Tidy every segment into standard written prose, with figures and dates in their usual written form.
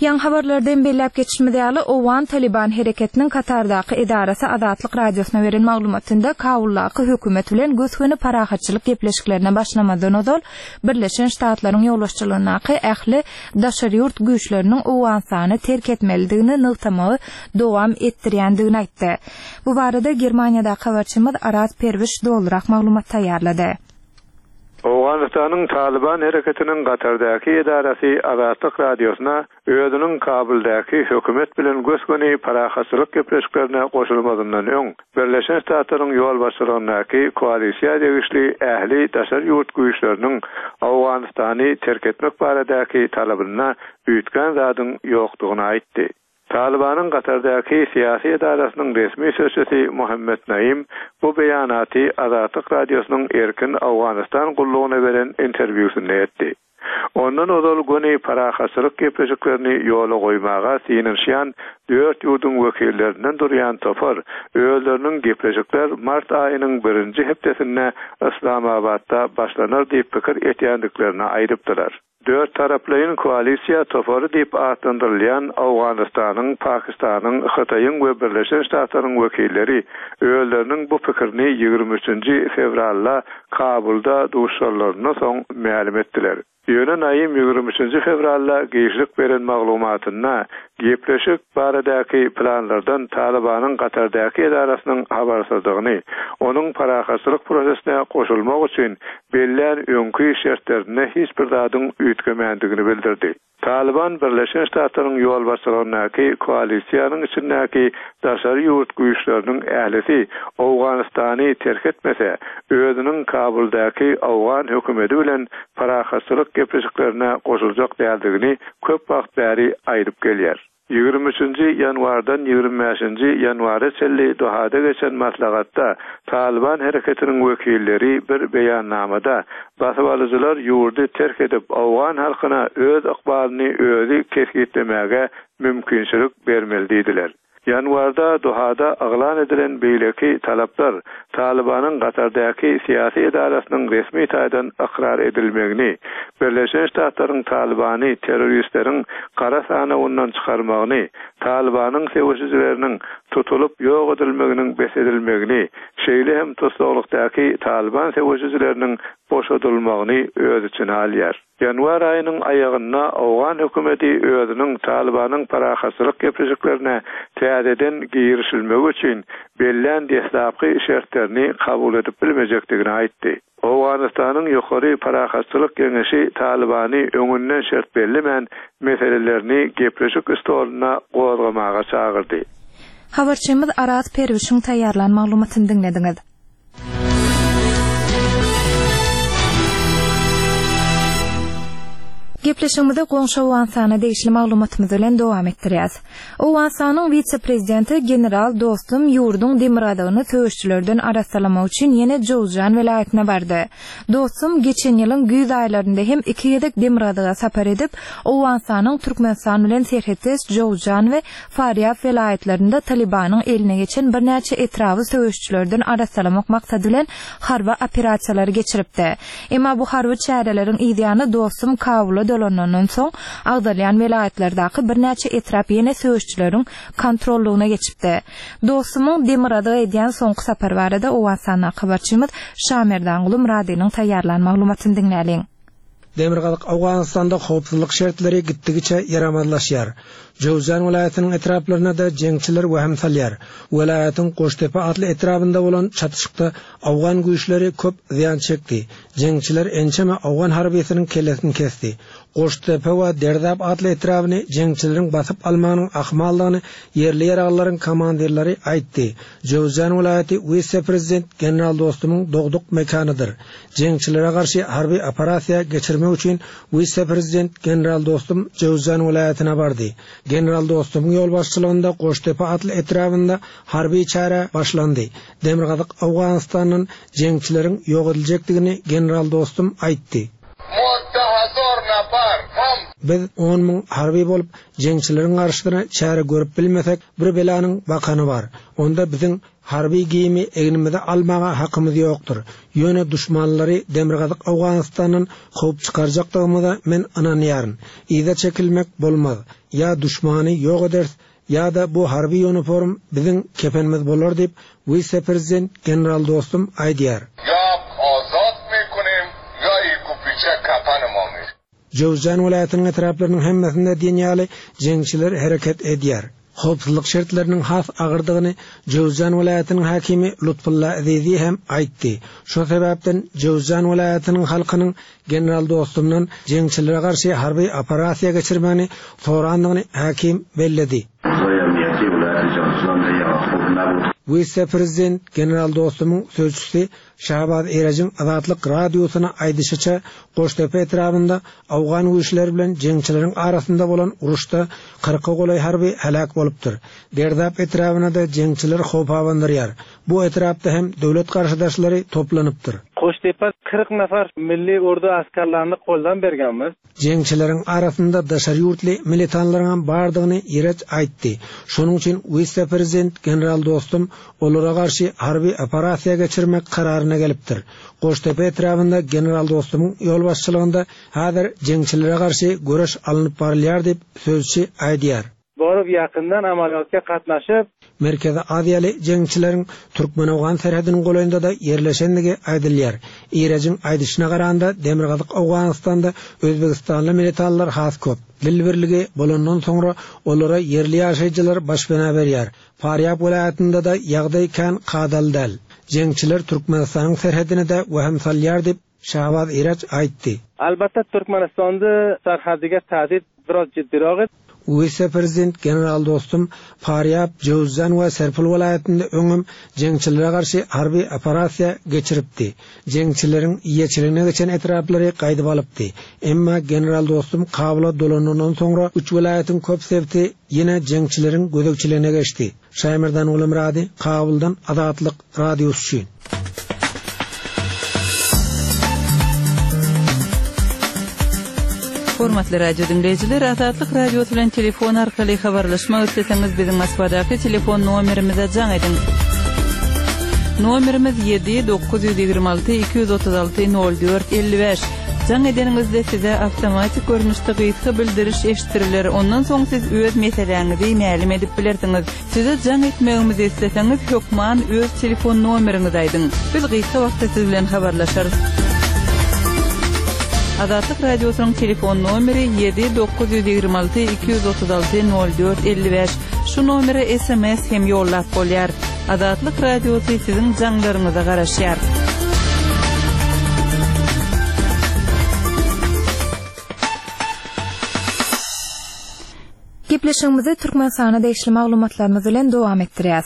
Ýaňy habarlarda hem belläp geçişimiz ýaly, owgan Talyban hereketiniň Katardaky edarasy Azatlyk Radiosyna beren maglumatynda Kabuldaky hökümet bilen gös-göni parahatçylyk gepleşiklerine başlamazdan ozal Birleşen Ştatlaryň ýolbaşçylygyndaky ähli daşary ýurt güýçleriniň Owganystany terk etmelidigini nygtamagy dowam etdirýändigini aýtdy. Bu barada Germaniýadaky habarçymyz Araz Perwiş dolurak maglumat taýýarlady. Owganystanyň Talyban hereketiniň Katardaky edarasy Azatlyk Radiosyna özüniň Kabuldaky hökümet bilen gös-göni parahatçylyk gepleşiklerine goşulmazyndan öň, Birleşen Ştatlaryň ýolbaşçylygyndaky koalisiýa degişli ähli daşary ýurt güýçleriniň Owganystany terk etmek baradaky talabynda üýtgän zadyň ýokdugyny aýtdy. Talybanyň Katardaky syýasy edarasynyň resmi sözçüsi Muhammet Naim bu beýanaty Azatlyk Radiosynyň Erkin Owganystan gullugyna beren interwýusynda etdi. Ondan ozal göni parahatçylyk gepleşiklerini ýola goýmaga synanyşýan dört ýurduň wekillerinden durýan topar özleriniň gepleşikler mart aýynyň birinji hepdesinde Yslamabatda başlanar diýip pikir etýändiklerini aýdypdylar. Dörttaraplaýyn koalisiýa topary diýip atlandyrylýan Owganystanyň, Pakistanyň, Hytaýyň we Birleşen Ştatlaryň wekilleri özleriniň bu pikirini 23 nji fewralda Kabulda duşuşanlaryndan soň mälim etdiler. Ýöne Naim 23 nji fewralda giçlik beren maglumatynda Gepleşik baradaky planlardan Talybanyň Katardaky edarasynyň habarsyzdygyny, onuň parahatçylyk prosesine goşulmak üçin bellän öňki şertlerinde hiç bir zadyň üýtgemändigini bildirdi. Talyban Birleşen Ştatlaryň ýolbaşçylygyndaky koalisiýanyň içindäki daşary ýurt güýçleriniň ählisi Owganystany terk etmese, özüniň Kabuldaky owgan hökümeti bilen parahatçylyk gepleşiklerine goşuljak däldigini köp wagt bäri aýdyp gelýär. 23 nji ýanwardan 25 nji ýanwara çenli Dohada geçen maslahatda Talyban hereketiniň wekilleri bir beýannamada basybalyjylar ýurdy terk edip, owgan halkyna öz ykbalyny özi kesgitlemäge mümkinçilik bermeli diýdiler. Ýanwarda Dohada yglan edilen beýleki talaplar Talybanyň Katardaky syýasy edarasynyň resmi taýdan ykrar edilmegini, Birleşen Ştatlaryň Talybany terroristleriň gara sanawyndan çykarmagyny, Talybanyň söweşijileriniň tutulyp ýok edilmeginiň bes edilmegini, şeýle hem tussaglykdaky Talyban söweşijileriniň boşadylmagyny öz içine alýar. Ýanwar aýynyň aýagynda owgan hökümeti özüniň Talybanyň parahatçylyk gepleşiklerine täzeden girişilmegi üçin bellän deslapky şertlerini kabul edip bilmejekdigini aýtdy. Owganystanyň Ýokary parahatçylyk geňeşi Talybany öňünden şert bellemän meselelerini gepleşik stolunda gozgamaga çagyrdy. Habarçymyz Araz Perwişiň taýýarlan maglumatyny diňlediňiz. Gepleşigimizi goňşy Owganystana degişli maglumatymyz bilen dowam etdirýäs. Owganystanyň wise-prezidenti general Dostum ýurduň demirgazygyny söweşçilerden arassalamak üçin ýene Jowzjan welaýatyna bardy. Dostum geçen ýylyň güýz aýlarynda hem iki gezek demirgazyga sapar edip, Owganystanyň Türkmenistan bilen serhetdeş Jowzjan we Farýab welaýatlarynda Talybanyň eline geçen birnäçe etraby söweşijilerden arassalamak maksady bilen harby operasiýalary geçiripdi. Emma bu harby çäreleriň yzýany Dostum Kabula dolanandan soň agzalýan welaýatlardaky birnäçe etrap ýene söweşijileriň kontrollygyna geçipdi. Dostumyň Demirgazyga edýän soňky sapary barada Owganystandaky habarçymyz Şamerdanguly Myradynyň taýýarlan maglumatyny diňläliň. Demirgazyk Owganystanda howpsuzlyk şertleri gitdigiçe ýaramazlaşýar. Jöwzjan welaýatynyň etraplaryna-da jeňçiler wehim salýar. Welaýatyň Goştepe atly etrabynda bolan çatyşykda owgan güýçleri köp zyýan çekdi. Jeňçiler ençeme owgan harbysynyň kellesini kesdi. Goştepe we Derzap atly etrabyny jeňçileriň basyp almagynyň ahmaldygyny ýerli ýaraglylaryň komandirleri aýtdy. Jöwzjan welaýaty wise-prezident general Dostumyň dogduk mekanydyr. Jeňçilere garşy harby operasiýa geçirmek üçin wise-prezident general Dostum Jöwzjan welaýatyna bardy. General Dostumyň ýolbaşçylygynda Goştepe atly etrabynda harby çäre başlandy. Demirgazyk Owganystandan jeňçileriň ýok ediljekdigini general Dostum aýtdy. Biz 10 000 harby bolup, jeňçileriň garşysyna çäre görüp bilmesek, bir belanyň bakany bar. Onda biziň. Harby geýimi egnimize almaga hakymyz ýokdur. Ýöne duşmanlary Demirgazyk Owganystandan kowup çykarjakdygymyza men ynanýaryn. Yza çekilmek bolmaz. Ýa duşmany ýok ederis, ýa-da bu harby ýuniform biziň kepenimiz bolar diýip, wise-prezident general Dostum aýdýar. Ýa azat mekunim, ýa ikupiçe kepenima mi. Jöwzjan welaýatynyň etraplarynyň hemmesinde diýen ýaly jeňçiler hereket edýär. Howpsuzlyk şertleriniň has agyrdygyny Jöwzjan welaýatynyň häkimi Lutfulla Ezizi hem aýtdy. Şo sebäpden Jöwzjan welaýatynyň halkynyň general Dostumdan jeňçilere garşy harby operasiýa geçirmegini sorandygyny häkim belledi. Wise-prezident general Dostumyň sözçüsi Şahbaz Erejiň Azatlyk Radiosyna aýdyşyça, Goştepe etrabynda owgan güýçleri bilen jeňçileriň arasynda bolan uruşda kyrka golaý harby heläk bolupdyr. Derdap etrabyna-da jeňçiler howp abandyrýar. Bu etrapda hem döwlet garşydaşlary toplanypdyr. Goştepe 40 nafar milli ordu askerlerini goldan bergenmiz. Jeňçileriň arasynda daşary ýurtly militanlaryňam bardygyny Ireç aýtdy. Şonuň üçin wise-prezident general Dostum olara garşy harby operasiýa geçirmek kararyna gelipdir. Goştepe etrabynda general Dostumyň ýolbaşçylygynda häzir jeňçilere garşy göreş alnyp barylýar diýip, sözçi aýdýar. Baryp ýakyndan amalýatga gatnaşyp. Merkezi Aziýaly jeňçileriň türkmen-owgan serhediniň golaýynda-da ýerleşendigi aýdylýar. Irejiň aýdyşyna garanda, demirgazyk Owganystanda özbegistanly militanlar has köp. Dil birligi bolandan soňra olara ýerli ýaşaýjylar başpena berýär. Farýab welaýatynda-da ýagdaý kän kadaly däl. Jeňçiler Türkmenistanyň serhedine-de wehim salýar diýip, Şahbaz Iraç aýtdy. Albatta Türkmenistanda serhediga tahdid biraz jiddiroq edi. Wise-prezident general Dostum Farýab, Jöwüzjan we Serpil welaýatynda öňem jeňçilere garşy harby operasiýa geçiripdi. Jeňçileriň eýeçiligine geçen etraplary gaýdyp alypdy. Emma general Dostum Kabula dolanandan soňra üç welaýatyň köp sebiti ýene jeňçileriň gözegçiligine geçdi. Şaýmerdan Gulumyrady, Kabuldan Azatlyk Radiosy üçin. Hormatly radio diňleýjiler, Azatlyk Radiosy bilen telefon arkaly habarlaşmak isleseňiz, biziň Moskwadaky telefon nomerimize jaň ediň. Nomerimiz 7 926 236 04 55. Jaň edeniňizde size awtomatik görnüşde gysga bildiriş eşitdiriler, ondan soň siz öz meseläňizi mälim edip bilersiňiz. Size jaň etmegimizi isleseňiz, hökman öz telefon nomeriňizi aýdyň. Biz gysga wagtda siz bilen habarlaşarys. Azatlyk Radiosynyň telefon nomeri 7 926 236 04 55. Şu nomere sms hem ýollap bolýar. Azatlyk Radiosy siziň jaňlaryňyza garaşýar. Gepleşigimizi Türkmenistana degişli maglumatlarymyz bilen dowam etdirýäs.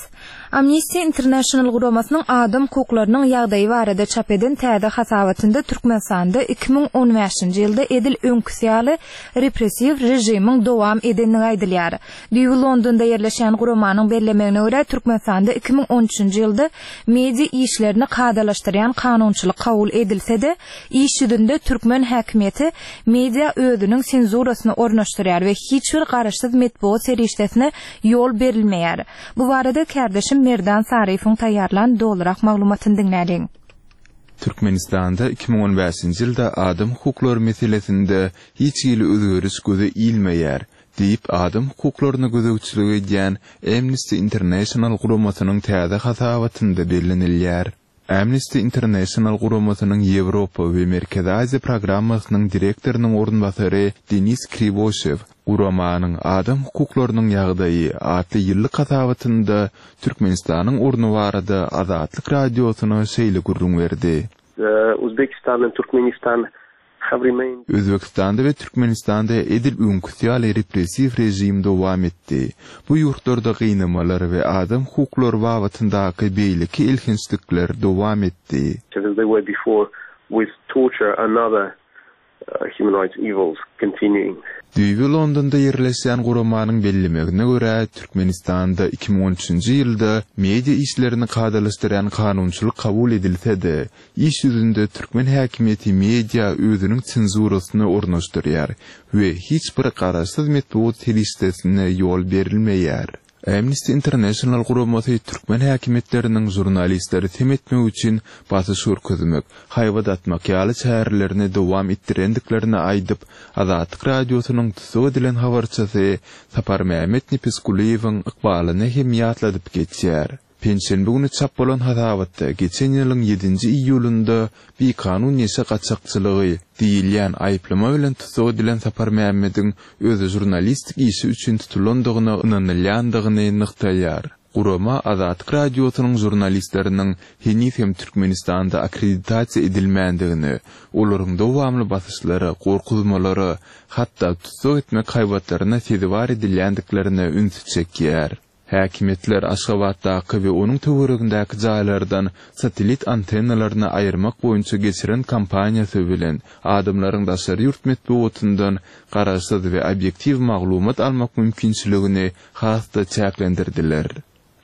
Amnesty International guramasynyň adam hukuklarynyň ýagdaýy barada çap eden täze hasabatynda Türkmenistanda 2015-nji ýylda edil öňküsi ýaly repressiw režimiň dowam edendigi aýdylýar. Düýbi Londonda ýerleşýän guramanyň bellemegine görä, Türkmenistanda 2013-nji ýylda media işlerini kadalaşdyrýan kanunçylyk kabul edilse-de, iş ýüzünde türkmen häkimiýeti media özüniň senzurasyny ornaşdyrýar we hiç bir garaşsyz metbugat serişdesine ýol berilmeýär. Bu barada kärdeşim Merdan Saryýewiň taýýarlan dolurak maglumatyny diňläliň. Türkmenistanda 2015-nji ýylda adam hukuklary meselesinde hiç hili özgeriş göze ilmeýär diýip, adam hukuklaryna gözegçilik edýän Amnesty International guramasynyň täze hasabatynda bellenilýär. Amnesty International guramasynyň Ýewropa we Merkezi Aziýa programmasynyň direktorynyň orunbasary Denis Kriwoşew guramanyň Adam hukuklarynyň ýagdaýy atly ýyllyk hasabatynda Türkmenistanyň orny barada Azatlyk Radiosyna şeýle gürrüň berdi. Uzbekistan and Turkmenistan Özbegistanda we Türkmenistanda edil öňküsi ýaly repressiw režim dowam etdi. Bu ýurtlarda gynamalar we adam hukuklary babatyndaky beýleki elhençlikler dowam etdi. Düýbi Londonda ýerleşýän guramanyň bellemegine görä, Türkmenistanda 2013-nji ýylda media işlerini kadalaşdyrýan kanunçylyk kabul edilse-de, Iş ýüzünde türkmen häkimiýeti media özüniň senzurasyny ornaşdyrýar we hiç bir garaşsyz metbugat serişdesine ýol berilmeýär. Amnesty International guramasy türkmen häkimiýetleriniň žurnalistleri sem etmek üçin basyş görkezmek, haýbat atmak ýaly çärelerini dowam etdirendiklerini aýdyp, Azatlyk Radiosynyň tussag edilen habarçysy Saparmämmet Nepesgulyýewiň ykbalyny hem ýatladyp geçýär. Penşenbe güni çap bolan hasabatda geçen ýylyň ýedinji iýulynda bikanun neşe gaçakçylygy diýilýän aýyplama bilen tussag edilen Saparmämmediň özi žurnalistik işi üçin tutulandygyna ynanylýandygyny nygtaýar. Gurama Azatlyk Radiosynyň žurnalistleriniň heniz hem Türkmenistanda akkreditasiýa edilmändigini, olaryň dowamly basyşlara, gorkuzmalara, hatda tussag etmek haýbatlaryna sezewar edilýändiklerine ünsi çekýär. Häkimiýetler Aşgabatdaky we onuň töweregindäki jaýlardan satellit antennalaryny aýyrmak boýunça geçiren kampaniýasy bilen adamlaryň daşary ýurt metbugatyndan garaşsyz we obýektiw maglumat almak mümkinçiligini has-da çäklendirdiler.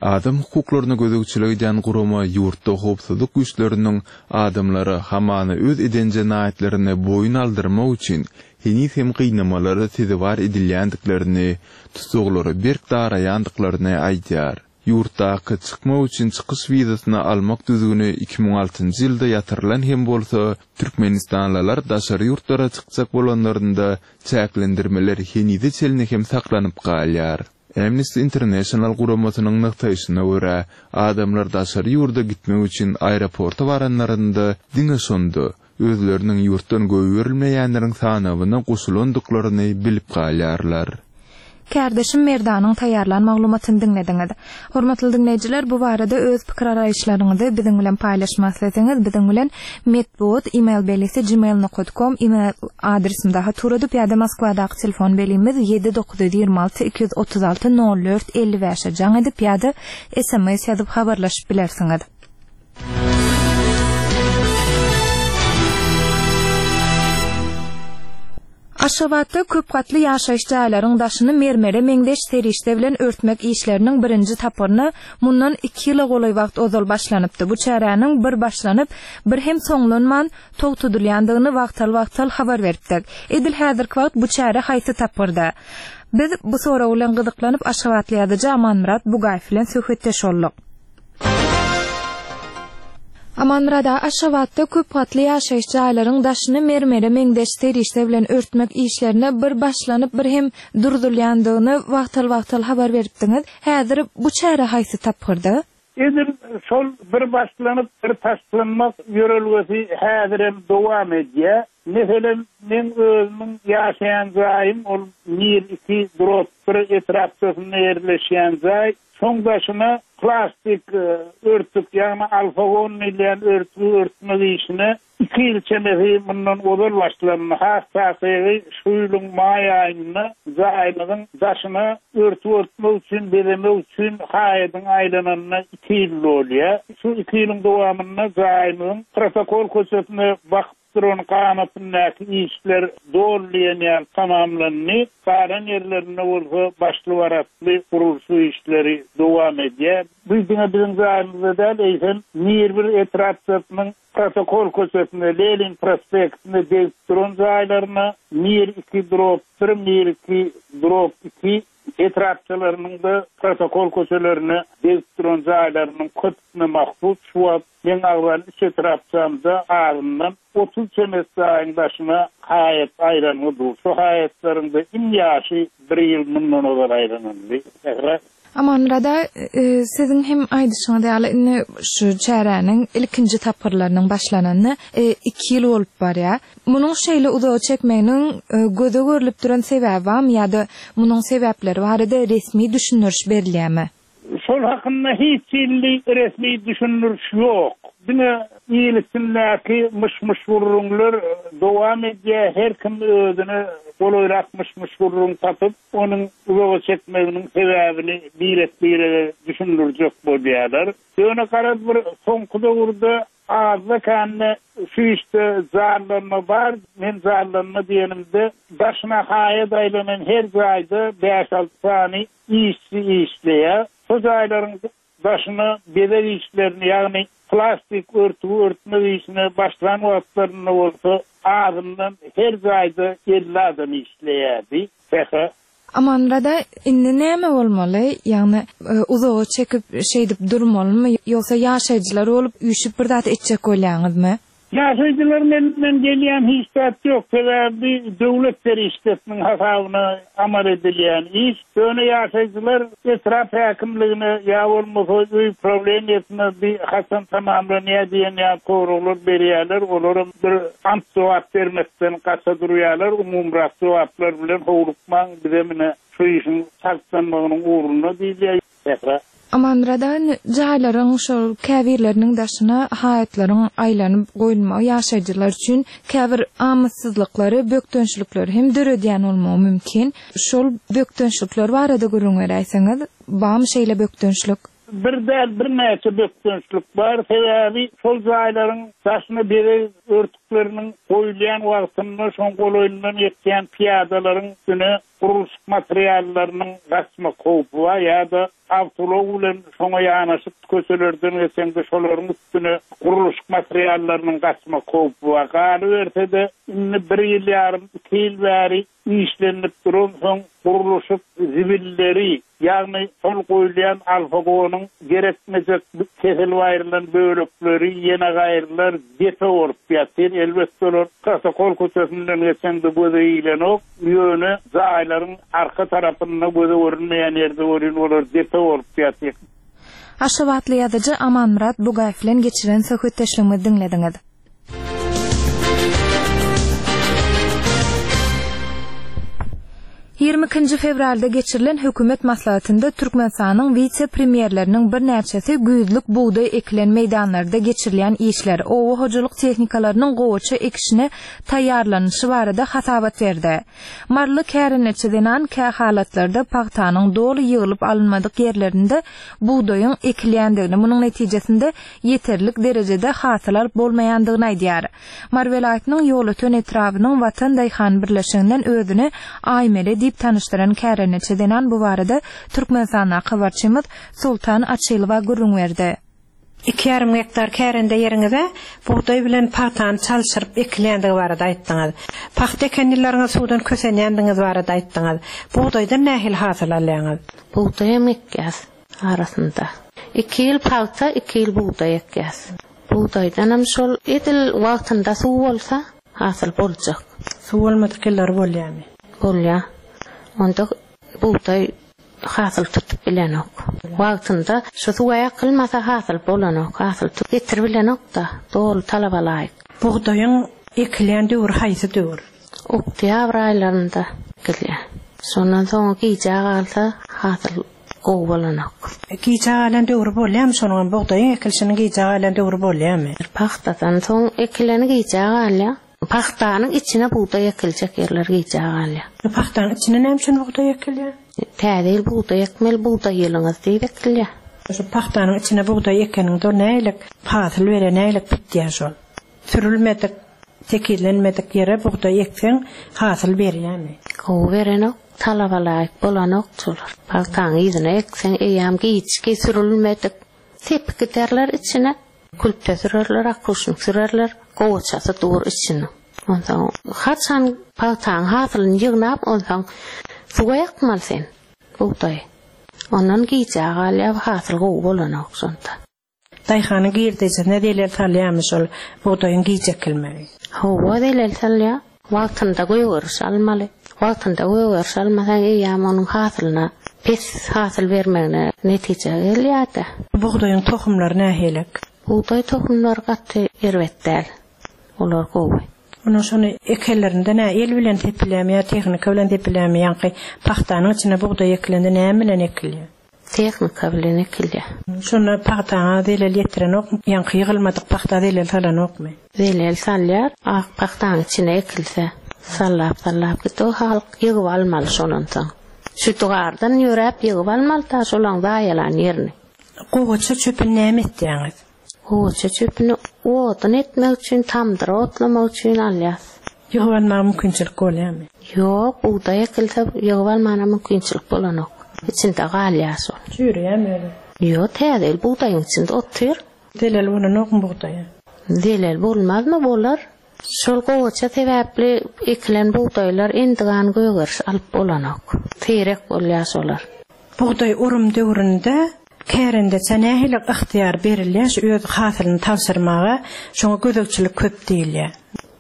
Adam hukuklaryna gözegçilik edýän gurama ýurtda howpsuzlyk güýçleriniň adamlara hamana öz eden jenaýatlaryny boýun aldyrmak üçin heniz hem gynamalara sezewar edilýändiklerini, tussaglara berk daraýandyklaryny aýdýar. Ýurtdaky çykmak üçin çykyş wizasyny almak düzgüni 2006-njy ýylda ýatyrylan hem bolsa, türkmenistanlylar daşary ýurtlara çykjak bolanlarynda çäklendirmeler henize çenli hem saklanyp galýar. Amnesty International guramasynyň nygtaýşyna görä, adamlar daşary ýurda gitmek üçin aeroporta baranlarynda diňe şonda, özleriniň ýurtdan goýberilmeýänleriň sanawyna goşulandyklaryny bilip galýarlar. Kärdeşim Merdanyň taýýarlan maglumatyny diňlediňiz. Hormatly diňleýjiler, bu barada öz pikir-garaýyşlaryňyzy biziň bilen paýlaşmak isleseňiz, biziň bilen metbugat email belgisi gmail nokat kom email adresimize hat ugradyp ýa-da Moskwadaky telefon belgimiz 7 926 236 04 55-e jaň edip ýa-da sms ýazyp habarlaşyp bilersiňiz. Aşgabatda köp gatly ýaşaýyş jaýlaryň daşyny mermere meňzeş serişde bilen örtmek işleriniň birinji tapgyryna mundan iki ýyla golaý wagt ozal başlanypdy. Bu çäräniň bir başlanyp, bir hem soňlanman togtadylýandygyny wagtal-wagtal habar beripdik. Edil häzirki wagt bu çäre haýsy tapgyrda? Biz bu sorag bilen gyzyklanyp, aşgabatly ýazyjy Amanmyrat Bugaýew bilen söhbetdeş bolduk. Amanmyrat aga, Aşgabatda köp gatly ýaşaýyş jaýlaryň daşyny mermere meňzeş serişde bilen örtmek işlerine bir başlanyp, bir hem durzulýandygyny wagtal-wagtal habar beripdiňiz. Häzir bu çäre haýsy tapgyrda? Edil şol bir başlanyp, bir taşlanmak ýörelgesi häzirem dowam edýär. Meselem, meň özümiň ýaşaýan jaýym ol Mir iki drop bir etrapçasynda ýerleşýän jaý. Şoň daşyna plastik örtük, ýagny alfagon diýilýän örtügi örtmek işine iki ýyl çemesi mundan ozal başlandy. Has takygy, şu ýylyň maý aýynda jaýymyzyň daşyna örtük örtmek üçin, bezemek üçin haýadyň aýlananyna iki ýyl dolýar. Şu iki ýylyň dowamynda jaýymyzyň Protokol köçesine bakyp duran ganatyndaky işler doly diýen ýaly tamamlandy. Galan ýerlerinde bolsa başly-baratly gurluşyk işleri dowam edýär. Bu diňe biziň jaýymyzda däl, eýsem, Mirbir etrapçasynyň Protokol köçesinde, Lenin prospektinde degip duran jaýlaryna, Mir iki drop bir, Mir iki drop iki etrapçalarynyň-da protokol köçelerine degip duran jaýlarynyň köpüsine mahsus şu wagt meň agzan üç etrapçamda azyndan 30 çemesi jaýyň daşyna haýat aýlangy dur. Şu haýatlaryň-da iň ýaşy bir ýyl mundan ozal aýlanyldy. Sähra. Amanmyrat aga, siziň hem aýdyşyňyz ýaly, indi şu çäräniň ilkinji tapgyrlarynyň başlananyna iki ýyl bolup barýar. Munuň şeýle uzaga çekmeginiň göze görlüp duran sebäbi barmy ýa-da munuň sebäpleri barada resmi düşündiriş berilýärmi? Şol hakynda hiç hili resmi düşündiriş ýok. Diňe il içindäki myş-myş gürrüňler dowam edýär, her kim özüne golaýrak myş-myş gürrüň tapyp, onuň uzaga çekmeginiň sebäbini birek-birege düşündirjek bolýarlar. Ýöne garaz bir soňky döwürde Azda-kände şu işde janlanma bar. Men janlanma diýenimde, daşyna haýat aýlanan her jaýda bäş-alty sany işçi işleýär. Şo jaýlaryň daşyna bezeg işlerini, ýagny plastik örtügi örtmek işine başlan wagtlarynda bolsa azyndan her jaýda 50 adam işleýärdi. Sähra. Amanmyrada indi näme bolmaly? Ýagny uzaga çekip şeýdip durmalymy ýogsa ýaşaýjylar bolup üýşüp bir zat etjek bolýaňyzmy? Ýaşaýjylaryň elinden gelýän hiç zat ýok, sebäbi döwlet serişdesiniň hasabyna amal edilýän iş. Ýöne ýaşaýjylar etrap häkimligine ýa bolmasa öý prawleniýesine bi haçan tamamlanýar diýen ýaly soraglar berýärler, olaram bir anyk jogap bermekden gaça durýarlar, umumyrak jogaplar bilen howlukmaň, bizem ine şu işiň çaltlanmagynyň ugrunda diýilýär. Sähra. Amanmyradan jaýlaryň şol käbirleriniň daşyna haýatlaryň aýlanyp goýulmagy ýaşaýjylar üçin käbir amatsyzlyklary, bökdençlikleri hem döredýän bolmagy mümkin. Şol bökdençlikler barada gürrüň beräýseňiz, barmy şeýle bökdençlik? Bir däl, birnäçe bökdençlik bar. Sebäbi şol jaýlaryň daşyna bezeg örtükleriniň goýulýan wagtynda şoň golaýyndan geçýän pyýadalaryň üstüne gurluşyk materiallarynyň gaçmak howpy bar ýa-da awtoulag bilen şoňa ýanaşyk köçelerden geçeňde şolaryň üstüne gurluşyk materiallarynyň gaçmak howpy bar. Galyberse-de, indi bir ýyl ýarym, iki ýyl bäri işlenilip duransoň gurluşyk zibilleri Ýagny şol goýulýan alfagonyň gerekmejek kesilip aýrylan bölekleri ýene gaýrylar depe bolup ýatyr. Elbetde olar protokol köçesinden geçeňde göze ilenok, ýöne jaýlaryň arka tarapynda göze görünmeýän ýerde welin olar depe bolup ýatyr. Aşgabatly ýazyjy Amanmyrat Bugaýew bilen geçiren söhbetdeşligimizi diňlediňiz. 22-nji fewralda geçirilen hökümet maslahatynda Türkmenistanyň wise-premýerleriniň birnäçesi güýzlük bugdaý ekilen meýdanlarda geçirilýän işler, oba hojalyk tehnikalarynyň gowaça ekişine taýýarlanylyşy barada hasabat berdi. Maryly kärendeçi zenan kähalatlarda pagtanyň doly ýygylyp alynmadyk ýerlerinde bugdaýyň ekilýändigini, munuň netijesinde ýeterlik derejede hasyl alyp bolmaýandygyny aýdýar. Mary welaýatynyň Ýolöten etrabynyň Watan daýhan birleşiginden özüni Aýmele diýip tanyşdyran kärendeçi zenan bu barada Türkmenistandaky habarçymyz Soltan Açylowa gürrüň berdi. Iki ýarym gektar kärende ýeriňize bugdaý bilen pagtany çalşyryp ekilýändigi barada aýtdyňyz. Pagta eken ýyllaryňyz suwdan kösenýändigiňiz barada aýtdyňyz. Bugdaýdan nähili hasyl alýaňyz? Bugdaýam ekýäs. Arasynda. Iki ýyl pagta, iki ýyl bugdaý ekýäs. Bugdaýdanam şol edil wagtynda suw bolsa, hasyl boljak. Suw bolmadyk ýyllary bolýamy? Bolýar. Onda bugdaý hasyl tutup bilenok. Wagtynda şu suwa ýakylmasa hasyl bolanok. Hasyl getirip bilenok-da, doly talaba laýyk. Bugdaýyň ekilýän döwri haýsy döwür? Oktýabr aýlarynda ekilýär. Şondan soňa gijä galsa hasyl gowy bolanok. Gijä galan döwri bolýarmy şonuňam bugdaýyň ekilişiniň gijä galan döwri bolýarmy? Pagtadan soň ekileni gijä galýar. Pagtanyň içine bugdaý ekiljek ýerler gijä galýar. Pagtanyň içine näme üçin bugdaý ekilýär? Täze ýyl bugdaý ekmeli bugdaý ýylyňyz diýip ekilýär. Şu pagtanyň içine bugdaý ekeniňde ol nähili hasyl berýär nähili bitýär şol? Sürülmedik, tekizlenmedik ýere bugdaý ekseň hasyl berýärmi? Gowy berenok, talaba laýyk bolanok şolar. Pagtaň yzyna ekseň eýýäm giçki sürülmedik sepip giderler içine. Külpe sürerler, akuşnik sürerler, gowaçasy dur içiniň. Onsoň haçan pagtaň hasylyny ýygnap onsoň suwa ýakmaly sen bugdaýy. Ondan gijä galýar hasyl gowy bolanok şonda. Daýhanyň girdejisine zelel salýarmy şol bugdaýyň giç ekilmegi? Hawa, zelel salýar. Wagtynda gögeriş almaly. Wagtynda gögeriş almasaň eýýäm onuň hasylyna pes hasyl bermegine netije gelýär-de. Bugdaýyň tohumlary nähilek? Bugdaý tohumlary gaty erbet däl. Olar gowy. Onuň şony ekenlerinde nä el bilen sepilýärmi ýa tehnika bilen sepilýärmi? Ýaňky pagtanyň içine bugdaý ekilende näme bilen ekilýär? Tehnika bilen ekilýär. Şonda pagtaňa zelel ýetirenokmy? Ýaňky ýygylmadyk pagta zelel salanokmy? Zelel salýar, ak pagtaň içine ekilse. Sallap-sallap git, o halk ýygyp almaly şondan soň. Şütügardan ýöräp ýygyp almaly-da şolaň zaýalan ýerini. Gowaça çöpüni näme etýäňiz? Gowaça çöpüni odun etmek üçin, tamdyr otlamak üçin alýas. Ýygyp almaga mümkinçilik bolýarmy? Ýok, bugdaý ekilse ýygyp almana mümkinçilik bolanok. Içinde galýar şol. Çüýreýärmi özi? Ýok, täze ýyl bugdaýyň içinde otyr. Zelel bolanokmy bugdaýa? Zelel bolmazmy, bolar. Şol gowaça sebäpli ekilen bugdaýlar endigan gögeriş alyp bolanok. Seýrek bolýar şolar. Bugdaý orum döwründe kärendeçä nähili ygtyýar berilýär şu öz hasylyny tabşyrmaga, şoňa gözegçilik köp diýilýär.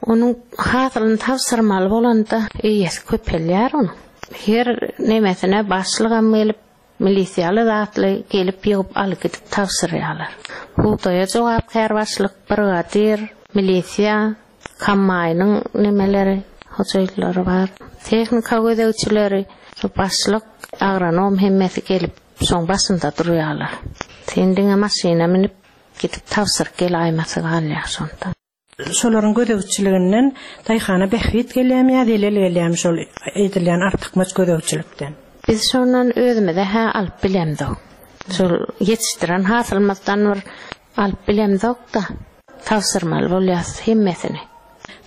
Onuň hasylyny tabşyrmaly bolanda eýesi köpelýär onuň. Her nemesine başlygam gelip, milisiýaly zatly gelip ýygyp alyp gidip tabşyrýarlar. Bugdaýa jogapkär başlyk, brigadir, milisiýa, kombaýnyň nemeleri, hojaýynlary bar. Tehnika gözegçileri, şu başlyk, agronom hemmesi gelip şoň başynda durýarlar. Sen diňe maşyna münüp gidip tabşyryp gelaýmasy galýar şonda. Şolaryň gözegçiliginden daýhana bähbit gelýärmi ýa zelel gelýärmi şol edilýän artykmaç gözegçilikden? Biz şondan özümize-hä alyp bilemzok. Şol ýetişdiren hasylymyzdan bir alyp bilemzok-da, tabşyrmaly bolýas hemmesini.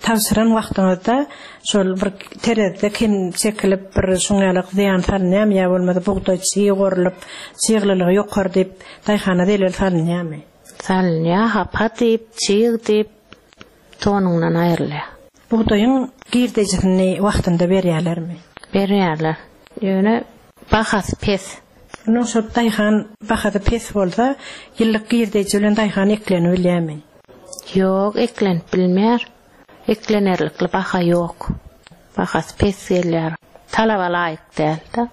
Tabşyran wagtyňyzda şol bir terezide kem çekilip bir şuň ýaly zyýan salynýarmy ýa bolmasa bugdaý çyg orlup, çyglylygy ýokary diýip daýhana zelel salynýarmy? Salynýar, hapa diýip, çyg diýip, tonuňdan aýrylýar. Bugdaýyň girdejisini wagtynda berýärlermi? Berýärler. Ýöne bahasy pes. Onuň şol daýhan bahasy pes bolsa, ýyllyk girdeji bilen daýhan eklenibilýärmi? Ýok, eklenip bilmeýär. Eklenerlikli baha ýok. Bahasy pes gelýär. Talaba laýyk däl-de.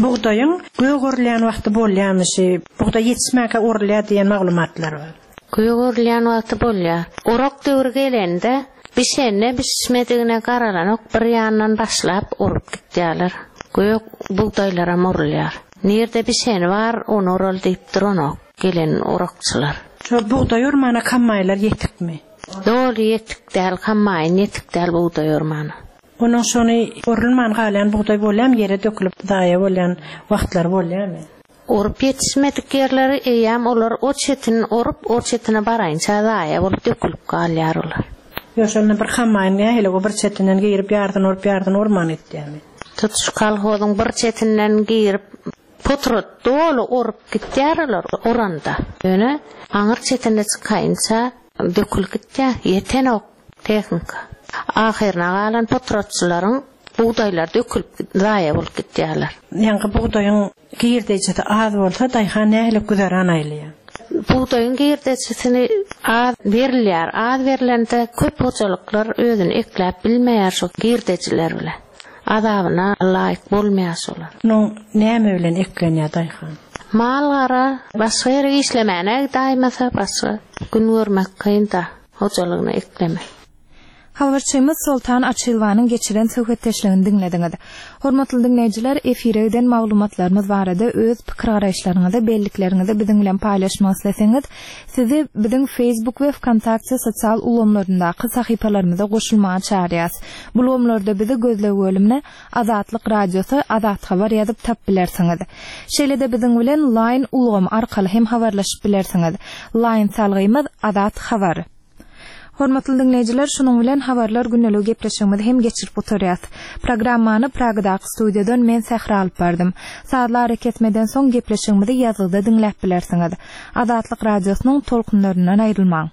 Bugdaýyň gök orulýan wagty bolýarmy şi? Bugdaý ýetişmänkä orulýar diýen maglumatlar bar. Gök orulýan wagty bolýar. Orak döwri gelende, bişenine bişmedigine garalanok bir ýandan başlap orup gitýärler. Gök bugdaýlaram orulýar. Nirde bişeni bar, ony oraly diýip duranok gelen orakçylar. Şo bugdaý ormana kombaýnlar ýetikmi? Doly ýetik däl, kombaýn ýetik däl bugdaý ormana. Onuň şony orulman galýan bugdaý bolýamy, ýere dökülip zaýa bolýan wagtlary bolýamy? Orup ýetişmedik ýerleri eýýäm olar o çetini orup, o çetine baraýynça zaýa bolup dökülip galýar olar. Ýok, şonda bir kombaýn nähili o bir çetinden girip ýarsyny orup, ýarsyny orman gitýärmi? Tutuş kolhozyň bir çetinden girip, potrat doly orup gitýär olar oranda. Ýöne aňyr çetine çykaýynça dökülip gitýär, ýetenok. Tehnika. Ahyryna galan potratçylaryň bugdaýlary dökülip zaýa bolup gitýärler. Ýaňky bugdaýyň girdejisi az bolsa daýhan nähili güzeran aýlaýar? Bugdaýyň girdejisini az berilýär. Az berlende köp hojalyklar özüni ekläp bilmeýär şu girdejiler bilen. Azabyna laýyk bolmaýar şolar. Munuň näme bilen eklenýär daýhan? Mal-gara başga ýere işlemäne gidaýmasa başga gün görmek kyn-da. Hojalygyna ekleme. Habarçymyz Soltan Açylowanyň geçiren söhbetdeşligini diňlediňiz. Hormatly diňleýjiler, efire giden maglumatlarymyz barada öz pikir-garaýyşlaryňyzy, bellikleriňizi biziň bilen paýlaşmak isleseňiz, sizi biziň Facebook we Wkontakte sosial ulgamlaryndaky sahypalarymyza goşulmaga çagyrýas. Bu ulgamlarda bizi gözleg bölümine Azatlyk Radiosy, Azathabar ýazyp tap bilersiňiz. Şeýle-de biziň bilen Line ulgamy arkaly hem habarlaşyp bilersiňiz. Line salgymyz, Azat Habar. Hormatly diňleýjiler, şunuň bilen Habarlar gündeligi gepleşigimizi hem geçirip gutarýas. Programmany Pragadaky studiýadan men Sähra alyp bardym. Sazly arakesmeden soň gepleşigimizi ýazgyda diňläp bilersiňiz. Azatlyk Radiosynyň tolkunlaryndan aýrylmaň!